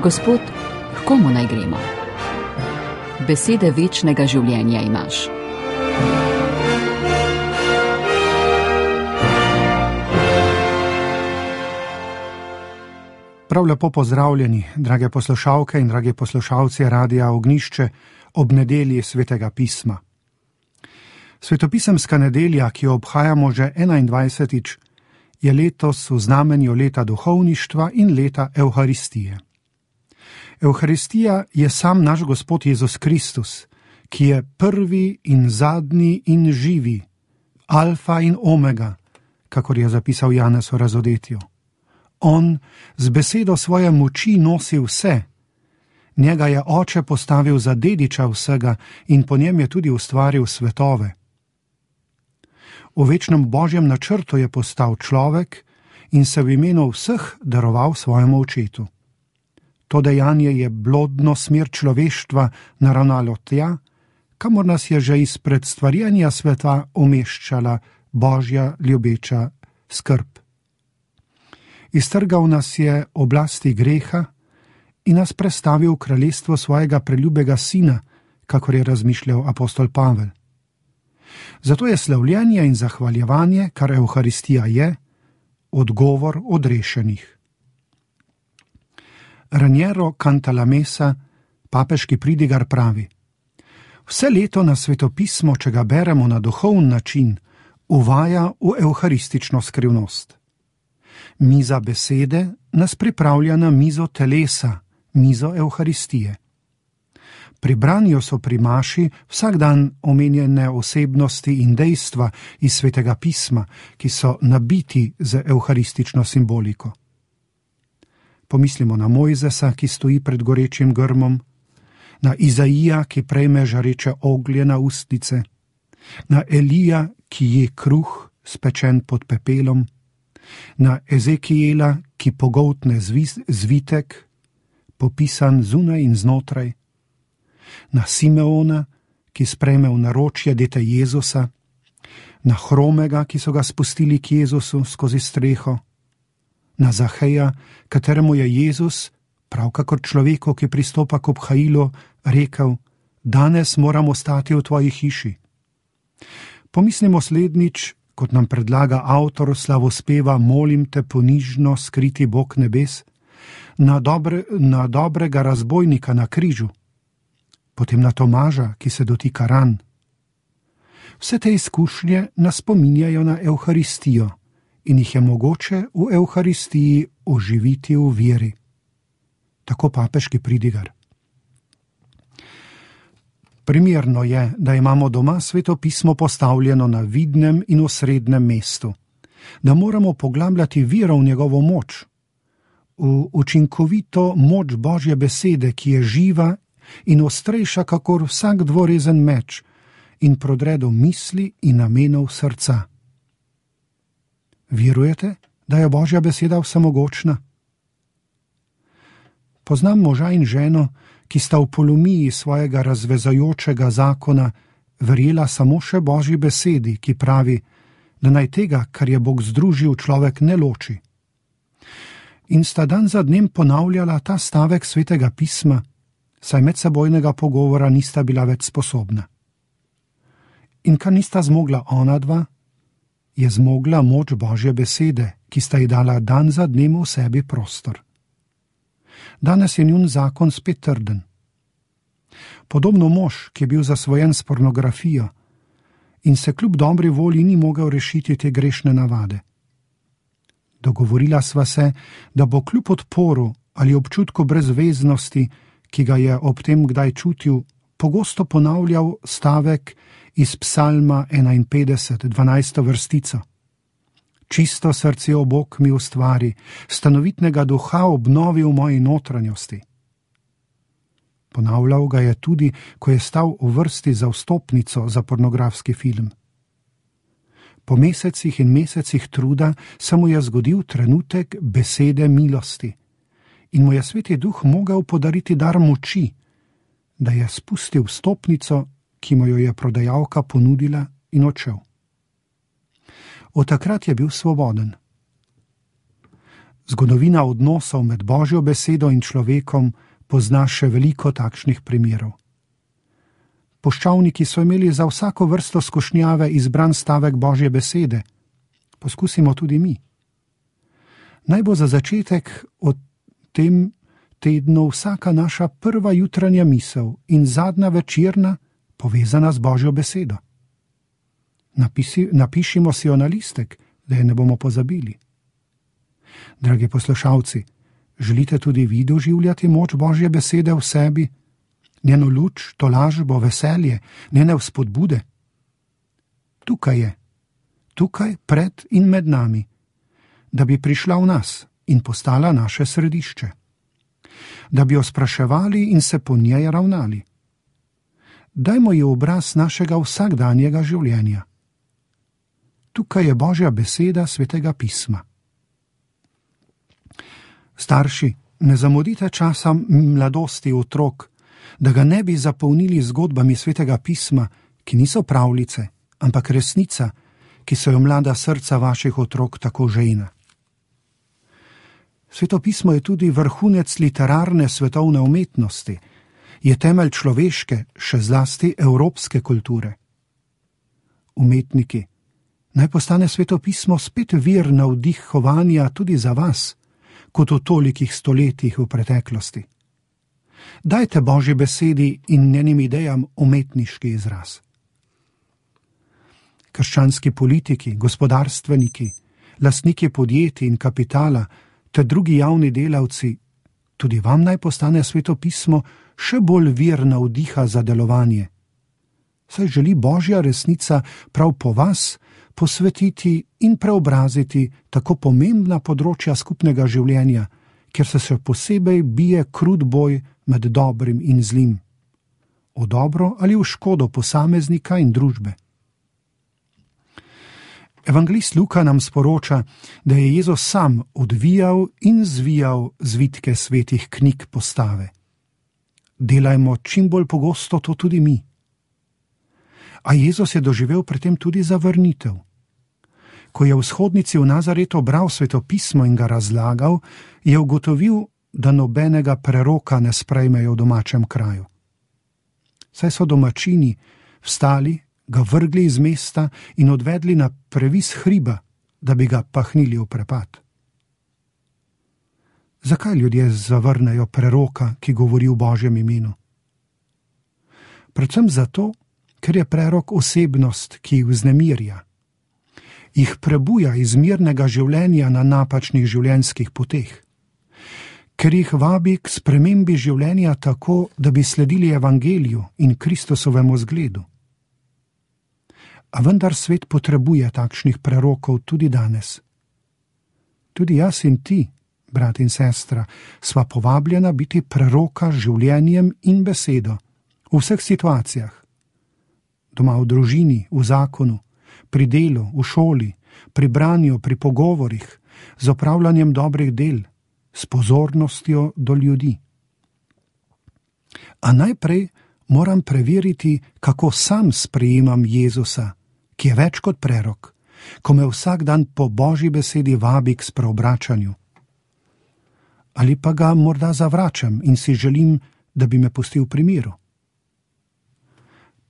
Gospod, k komu naj gremo? Besede večnega življenja imaš. Prav lepo pozdravljeni, drage poslušalke in dragi poslušalci Radia Ognjišče ob nedelji Svetega pisma. Svetopisemska nedelja, ki jo obhajamo že 21. je letos v znamenju leta duhovništva in leta Evharistije. Evharistija je sam naš Gospod Jezus Kristus, ki je prvi in zadnji in živi, alfa in omega, kakor je zapisal Janez v Razodetju. On z besedo svoje moči nosi vse. Njega je Oče postavil za dediča vsega in po njem je tudi ustvaril svetove. V večnem Božjem načrtu je postal človek in se v imenu vseh daroval svojemu očetu. To dejanje je blodno smer človeštva naravnalo tja, kamor nas je že izpred stvarjenja sveta umeščala Božja ljubeča skrb. Iztrgal nas je oblasti greha in nas prestavil v kraljestvo svojega preljubega sina, kakor je razmišljal apostol Pavel. Zato je slavljenje in zahvaljevanje, kar Evharistija je, odgovor odrešenih. Raniero Cantalamessa, papeški pridigar, pravi: vse leto na svetopismo, če ga beremo na duhovni način, uvaja v evharistično skrivnost. Miza besede nas pripravlja na mizo telesa, mizo Evharistije. Pri branju so pri maši vsak dan omenjene osebnosti in dejstva iz Svetega pisma, ki so nabiti z evharistično simboliko. Pomislimo na Mojzesa, ki stoji pred gorečim grmom, na Izaija, ki prejme žareče oglje na ustnice, na Elija, ki je kruh spečen pod pepelom, na Ezekijela, ki pogoltne zvitek, popisan zunaj in znotraj, na Simeona, ki sprejme v naročje dete Jezusa, na Hromega, ki so ga spustili k Jezusu skozi streho, na Zaheja, kateremu je Jezus, prav kakor človeku, ki pristopa k obhajilu, rekel: danes moram ostati v tvoji hiši. Pomislimo slednjič, kot nam predlaga avtor slavospeva Molim te ponižno, skriti Bog nebes, na dobrega razbojnika na križu, potem na Tomaža, ki se dotika ran. Vse te izkušnje nas spominjajo na Evharistijo in jih je mogoče v Evharistiji oživiti v veri. Tako papeški pridigar. Primerno je, da imamo doma svetopismo postavljeno na vidnem in osrednjem mestu, da moramo poglabljati vero v njegovo moč, v učinkovito moč Božje besede, ki je živa in ostrejša kakor vsak dvorezen meč in prodre do misli in namenov srca. Verujete, da je Božja beseda vsemogočna? Poznam moža in ženo, ki sta v polomiji svojega razvezajočega zakona verjela samo še Božji besedi, ki pravi, da naj tega, kar je Bog združil, človek ne loči. In sta dan za dnem ponavljala ta stavek Svetega pisma, saj medsebojnega pogovora nista bila več sposobna. In kar nista zmogla ona dva, je zmogla moč Božje besede, ki sta ji dala dan za dnem v sebi prostor. Danes je njun zakon spet trden. Podobno mož, ki je bil zasvojen s pornografijo in se kljub dobri volji ni mogel rešiti te grešne navade. Dogovorila sva se, da bo kljub odporu ali občutku brezveznosti, ki ga je ob tem kdaj čutil, pogosto ponavljal stavek iz Psalma 51, 12. vrstico. Čisto srce, o Bog, mi ustvari, stanovitnega duha obnovi v moji notranjosti. Ponavljal ga je tudi, ko je stal v vrsti za vstopnico za pornografski film. Po mesecih in mesecih truda se mu je zgodil trenutek besede milosti in mu je Sveti Duh mogel podariti dar moči, da je spustil vstopnico, ki mu jo je prodajalka ponudila, in odšel. Od takrat je bil svoboden. Zgodovina odnosov med Božjo besedo in človekom pozna še veliko takšnih primerov. Puščavniki so imeli za vsako vrsto skušnjave izbran stavek Božje besede. Poskusimo tudi mi. Naj bo za začetek o tem tednu vsaka naša prva jutranja misel in zadnja večerna povezana z Božjo besedo. Napišimo si jo na listek, da je ne bomo pozabili. Dragi poslušalci, želite tudi vi doživljati moč Božje besede v sebi, njeno luč, tolažbo, veselje, njene vzpodbude? Tukaj je, tukaj pred in med nami, da bi prišla v nas in postala naše središče, da bi jo spraševali in se po njej ravnali. Dajmo ji obraz našega vsakdanjega življenja. Tukaj je Božja beseda Svetega pisma. Starši, ne zamudite časa mladosti otrok, da ga ne bi zapolnili zgodbami Svetega pisma, ki niso pravljice, ampak resnica, ki so jo mlada srca vaših otrok tako žejna. Sveto pismo je tudi vrhunec literarne svetovne umetnosti, je temelj človeške, še zlasti evropske kulture. Umetniki, naj postane Sveto pismo spet vir navdihovanja tudi za vas, kot v tolikih stoletjih v preteklosti. Dajte Božji besedi in njenim idejam umetniški izraz. Krščanski politiki, gospodarstveniki, lastniki podjetij in kapitala ter drugi javni delavci, tudi vam naj postane Sveto pismo še bolj vir navdiha za delovanje. Saj želi Božja resnica prav po vas posvetiti in preobraziti tako pomembna področja skupnega življenja, kjer se še posebej bije krut boj med dobrim in zlim, v dobro ali v škodo posameznika in družbe. Evangelist Luka nam sporoča, da je Jezus sam odvijal in zvijal zvitke svetih knjig postave. Delajmo čim bolj pogosto to tudi mi. A Jezus je doživel pri tem tudi zavrnitev. Ko je v shodnici v Nazaretu bral Sveto pismo in ga razlagal, je ugotovil, da nobenega preroka ne sprejmejo v domačem kraju. Saj so domačini vstali, ga vrgli iz mesta in odvedli na previs hriba, da bi ga pahnili v prepad. Zakaj ljudje zavrnejo preroka, ki govori v Božjem imenu? Predvsem zato, ker je prerok osebnost, ki jih vznemirja. Jih prebuja iz mirnega življenja na napačnih življenjskih poteh. Ker jih vabi k spremembi življenja tako, da bi sledili evangeliju in Kristusovemu zgledu. A vendar svet potrebuje takšnih prerokov tudi danes. Tudi jaz in ti, brat in sestra, sva povabljena biti preroka z življenjem in besedo v vseh situacijah. Doma v družini, v zakonu, pri delu, v šoli, pri branju, pri pogovorih, z opravljanjem dobrih del, s pozornostjo do ljudi. A najprej moram preveriti, kako sam sprejemam Jezusa, ki je več kot prerok, ko me vsak dan po Božji besedi vabi k spreobračanju. Ali pa ga morda zavračam in si želim, da bi me pustil pri miru.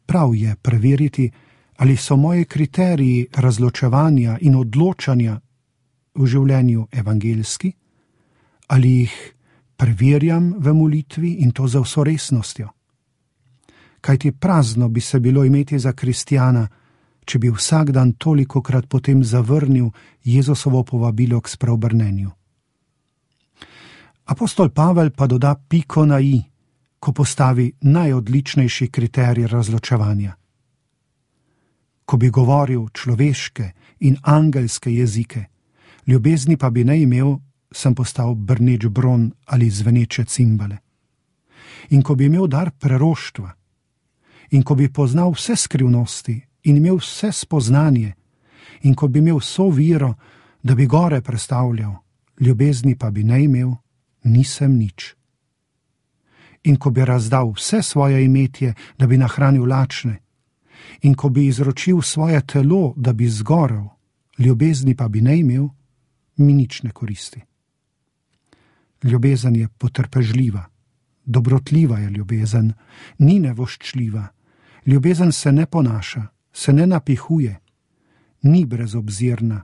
Prav je preveriti, ali so moji kriteriji razločevanja in odločanja v življenju evangeljski, ali jih preverjam v molitvi in to za vso resnostjo. Kajti prazno bi se bilo imeti za kristjana, če bi vsak dan tolikokrat potem zavrnil Jezusovo povabilo k spreobrnenju. Apostol Pavel pa doda piko na i, ko postavi najodličnejši kriterij razločevanja. Ko bi govoril človeške in angelske jezike, ljubezni pa bi ne imel, sem postal brneč bron ali zveneče cimbale. In ko bi imel dar preroštva, in ko bi poznal vse skrivnosti in imel vse spoznanje, in ko bi imel vso viro, da bi gore prestavljal, ljubezni pa bi ne imel, nisem nič. In ko bi razdal vse svoje imetje, da bi nahranil lačne, in ko bi izročil svoje telo, da bi zgorel, ljubezni pa bi ne imel, mi nič ne koristi. Ljubezen je potrpežljiva, dobrotljiva je ljubezen, ni nevoščljiva. Ljubezen se ne ponaša, se ne napihuje, ni brezobzirna,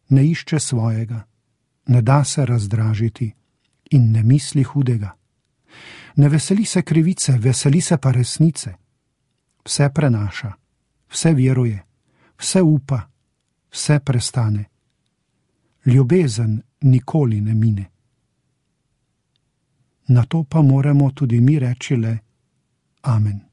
ne išče svojega, ne da se razdražiti in ne misli hudega. Ne veseli se krivice, veseli se pa resnice. Vse prenaša, vse veruje, vse upa, vse prestane. Ljubezen nikoli ne mine. Na to pa moramo tudi mi reči le amen.